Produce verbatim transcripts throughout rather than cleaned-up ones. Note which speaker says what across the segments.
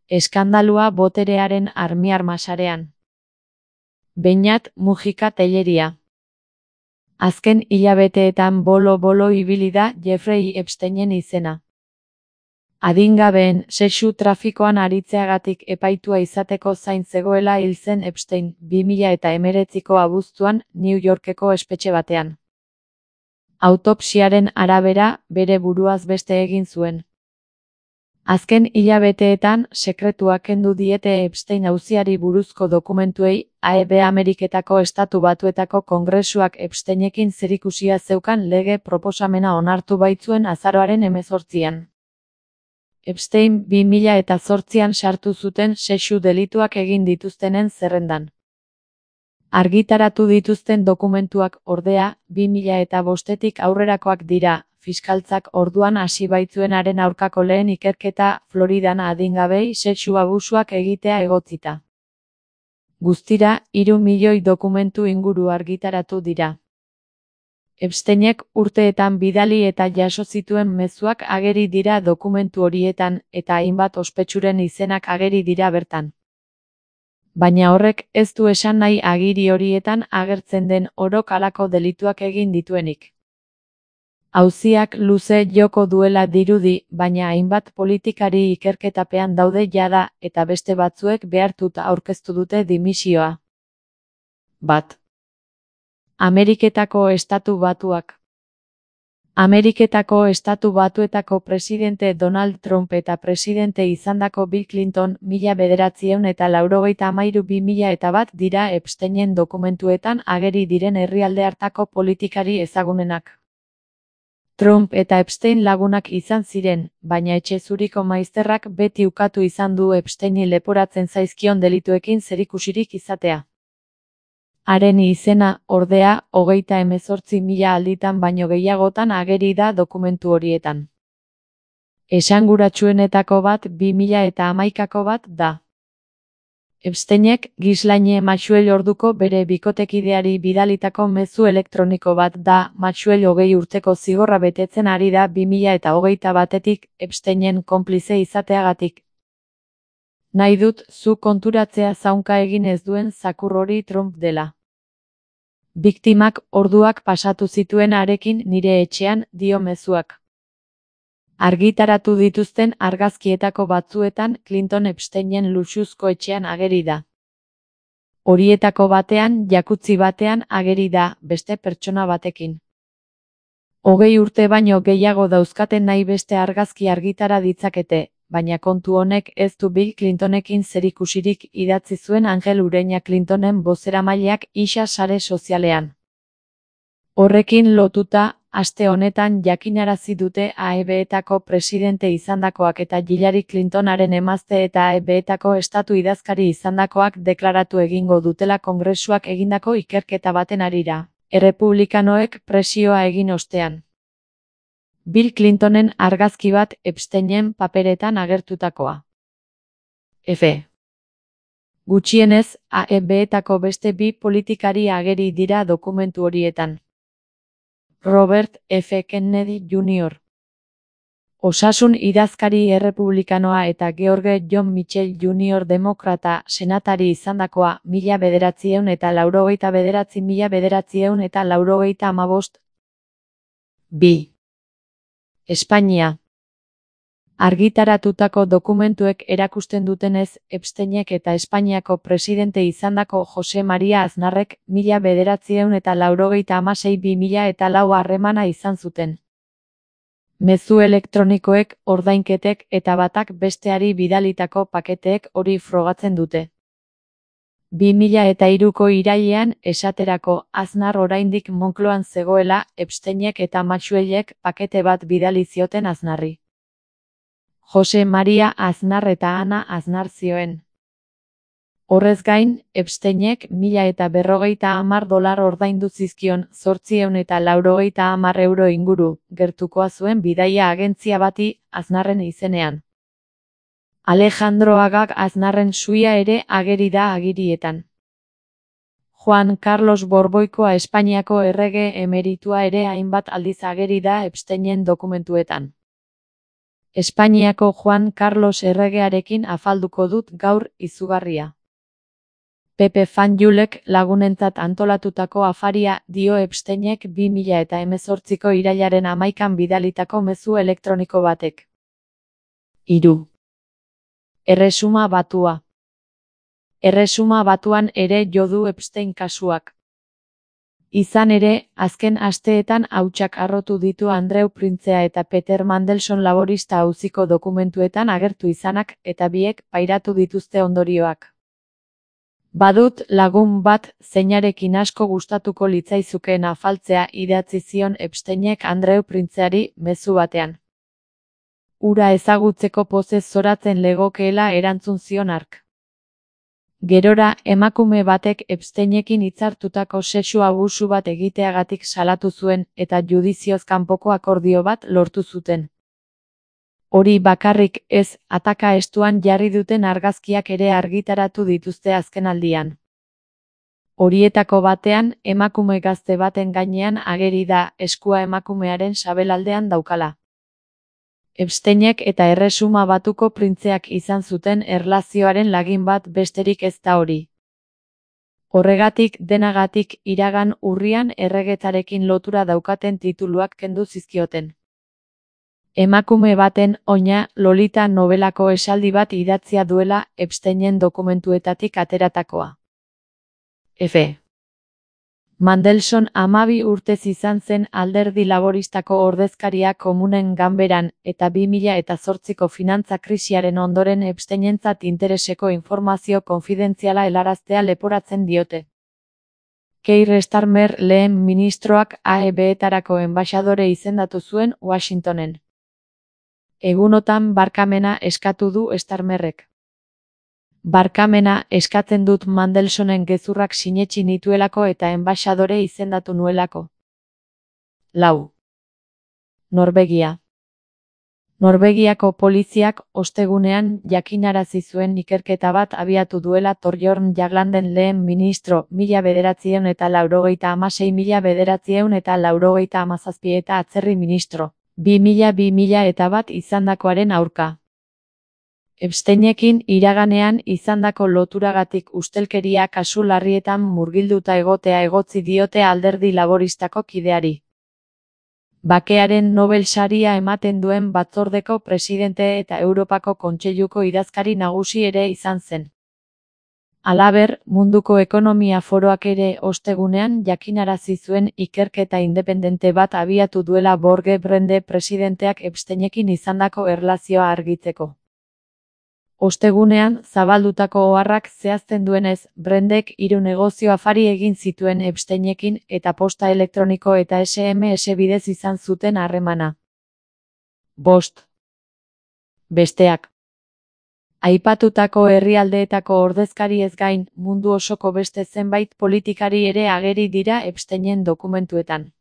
Speaker 1: Eskandalua boterearen armiarma sarean. Beñat Mujika Telleria. Azken hilabeteetan bolo-bolo ibili da Jeffrey Epsteinen izena. Adingabeen sexu trafikoan aritzeagatik epaitua izateko zain zegoela hil zen Epstein, bi mila hemeretziko abuztuan New Yorkeko espetxe batean. Autopsiaren arabera, bere buruaz beste egin zuen. Azken hilabeteetan, sekretua kendu diete Epstein auziari buruzko dokumentuei, A E B Ameriketako Estatu Batuetako Kongresuak Epsteinekin zerikusia zeukan lege proposamena onartu baitzuen azaroaren hemezortzian. Epstein bi mila zortzian sartu zuten sexu delituak egin dituztenen zerrendan. Argitaratu dituzten dokumentuak, ordea, bi mila bostetik aurrerakoak dira, fiskaltzak orduan hasi baitzuenaren aurkako lehen ikerketa Floridan adingabei sexu abusuak egitea egotzita. Guztira, hiru milioi dokumentu inguru argitaratu dira. Epsteinek urteetan bidali eta jaso zituen mezuak ageri dira dokumentu horietan, eta hainbat ospetsuren izenak ageri dira bertan. Baina horrek ez du esan nahi agiri horietan agertzen den orok halako delituak egin dituenik. Auziak luze joko duela dirudi, baina hainbat politikari ikerketapean daude jada, eta beste batzuek behartuta aurkeztu dute dimisioa. Bat. Ameriketako Estatu Batuak. Ameriketako Estatu Batuetako presidente Donald Trump eta presidente izandako Bill Clinton mila bederatziehun eta laurogeita hamairu bi mila eta bat dira Epsteinen dokumentuetan ageri diren herrialde hartako politikari ezagunenak. Trump eta Epstein lagunak izan ziren, baina etxe zuriko maizterrak beti ukatu izan du Epsteini leporatzen zaizkion delituekin zerikusirik izatea. Haren izena, ordea, hogeita hemezortzi mila alditan baino gehiagotan ageri da dokumentu horietan. Esanguratsuenetako bat bi mila hamaikako bat da. Epsteinek Ghislaine Maxwell orduko bere bikotekideari bidalitako mezu elektroniko bat da, Maxwell hogei urteko zigorra betetzen ari da bi mila hogeita batetik Epsteinen konplize izateagatik. Nahi dut zu konturatzea zaunka egin ez duen zakur hori Trump dela. Biktimak orduak pasatu zituen harekin nire etxean, dio mezuak. Argitaratu dituzten argazkietako batzuetan Clinton Epsteinen luxuzko etxean ageri da. Horietako batean, jakutzi batean ageri da, beste pertsona batekin. Hogei urte baino gehiago dauzkaten nahi beste argazki argitara ditzakete, baina kontu honek ez du Bill Clintonekin zerikusirik idatzi zuen Angel Ureña Clintonen bozeramaileak isa sare sozialean. Horrekin lotuta, aste honetan jakinarazi dute A E B-etako presidente izandakoak eta Hillary Clintonaren emazte eta A E B-etako estatu idazkari izandakoak deklaratu egingo dutela Kongresuak egindako ikerketa baten harira, errepublikanoek presioa egin ostean. Bill Clintonen argazki bat Epsteinen paperetan agertutakoa. F. Gutxienez, A E B-etako beste bi politikari ageri dira dokumentu horietan. Robert F. Kennedy junior Osasun idazkari errepublikanoa eta George John Mitchell junior demokrata senatari izandakoa mila bederatziehun eta laurogeita bederatzi mila bederatziehun eta laurogeita hamabost. Bi. Espainia. Argitaratutako dokumentuek erakusten dutenez, Epsteinek eta Espainiako presidente izandako Jose Maria Aznarrek mila bederatziehun eta laurogeita hamasei bi mila eta lau harremana izan zuten. Mezu elektronikoek, ordainketek eta batak besteari bidalitako paketeek hori frogatzen dute. bi mila hiruko irailean, esaterako, Aznar oraindik Moncloan zegoela, Epsteinek eta Maxwellek pakete bat bidali zioten Aznarri. Jose Maria Aznar eta Ana Aznar zioen. Horrez gain, Epsteinek mila eta berrogeita hamar dolar ordaindu zizkion zortziehun eta laurogeita hamar euro inguru, gertukoa zuen bidaia agentzia bati, Aznarren izenean. Alejandro Agag Aznarren suia ere ageri da agirietan. Juan Carlos Borboikoa Espainiako errege emeritua ere hainbat aldiz ageri da Epsteinen dokumentuetan. Espainiako Juan Carlos erregearekin afalduko dut gaur izugarria. Pepe Fanjulek lagunentzat antolatutako afaria dio Epsteinek bi mila eta hemezortziko irailaren hamaikan bidalitako mezu elektroniko batek. Hiru. Erresuma Batua. Erresuma Batuan ere jo du Epstein kasuak. Izan ere, azken asteetan hautsak harrotu ditu Andreu Printzea eta Peter Mandelson laborista auziko dokumentuetan agertu izanak eta biek pairatu dituzte ondorioak. Badut lagun bat zeinarekin asko gustatuko litzaizukeen afaltzea idatzi zion Epsteinek Andreu Printzeari mezu batean. Hura ezagutzeko pozez zoratzen legokeela erantzun zion hark. Gerora, emakume batek Epsteinekin hitzartutako sexu abusu bat egiteagatik salatu zuen eta judizioz kanpoko akordio bat lortu zuten. Hori bakarrik ez, ataka estuan jarri duten argazkiak ere argitaratu dituzte azkenaldian. Horietako batean, emakume gazte baten gainean ageri da, eskua emakumearen sabelaldean daukala. Epsteinek eta Erresuma Batuko printzeak izan zuten erlazioaren lagin bat besterik ez da hori. Horregatik denagatik iragan urrian erregetzarekin lotura daukaten tituluak kendu zizkioten. Emakume baten oina Lolita nobelako esaldi bat idatzia duela Epsteinen dokumentuetatik ateratakoa. F. Mandelson hamabi urtez izan zen alderdi laboristako ordezkaria komunen ganberan eta bi mila eta zortziko finantza krisiaren ondoren Epsteinentzat intereseko informazio konfidentziala helaraztea leporatzen diote. Keir Starmer lehen ministroak A E B-etarako enbaxadore izendatu zuen Washingtonen. Egunotan barkamena eskatu du Starmerrek. Barkamena eskatzen dut Mandelsonen gezurrak sinetsi nituelako eta enbaxadore izendatu nuelako. Lau. Norvegia. Norvegiako poliziak ostegunean jakinarazi zuen ikerketa bat abiatu duela Thorbjørn Jaglanden lehen ministro mila bederatziehun eta laurogeita hamasei mila bederatziehun eta laurogeita hamazazpi eta atzerri ministro bi mila bi mila eta bat izandakoaren aurka. Epsteinekin iraganean izandako loturagatik ustelkeria kasu larrietan murgilduta egotea egotzi diote alderdi laboristako kideari. Bakearen Nobel saria ematen duen batzordeko presidente eta Europako Kontseiluko idazkari nagusi ere izan zen. Halaber, Munduko Ekonomia Foroak ere ostegunean jakinarazi zuen ikerketa independente bat abiatu duela Borge Brende presidenteak Epsteinekin izandako erlazioa argitzeko. Ostegunean, zabaldutako oharrak zehazten duenez, Brendek hiru negozio afari egin zituen Epsteinekin eta posta elektroniko eta S M S bidez izan zuten harremana. Bost. Besteak. Aipatutako herrialdeetako ordezkariez gain, mundu osoko beste zenbait politikari ere ageri dira Epsteinen dokumentuetan.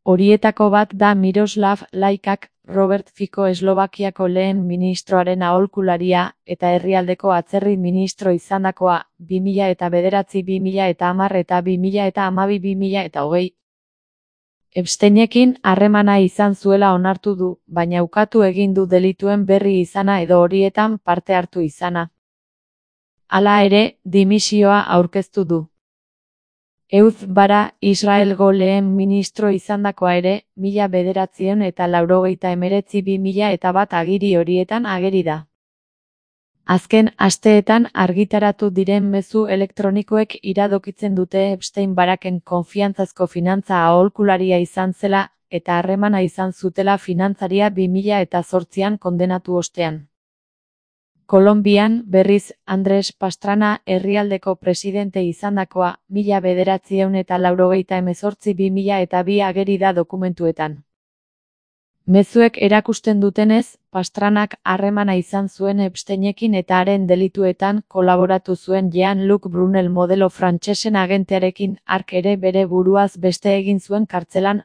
Speaker 1: Horietako bat da Miroslav Lajčák, Robert Fico Eslovakiako lehen ministroaren aholkularia eta herrialdeko atzerri ministro izandakoa, bi mila eta bederatzi bi mila eta hamar eta bi mila eta hamabi bi mila eta hogei. Epsteinekin harremana izan zuela onartu du, baina ukatu egin du delituen berri izana edo horietan parte hartu izana. Hala ere, dimisioa aurkeztu du. Ehud Barak, Israelgo lehen ministro izandakoa ere, mila bederatziehun eta laurogeita hemeretzi bi mila eta bat agiri horietan ageri da. Azken asteetan argitaratu diren mezu elektronikoek iradokitzen dute Epstein Baraken konfiantzazko finantza aholkularia izan zela eta harremana izan zutela finantzaria bi mila eta zortzian kondenatu ostean. Kolonbian, berriz, Andres Pastrana herrialdeko presidente izandakoa, mila bederatziehun eta laurogeita hemezortzi bi mila eta bi ageri da dokumentuetan. Mezuek erakusten dutenez, Pastranak harremana izan zuen Epsteinekin eta haren delituetan kolaboratu zuen Jean-Luc Brunel modelo frantsesen agentearekin, hark ere bere buruaz beste egin zuen kartzelan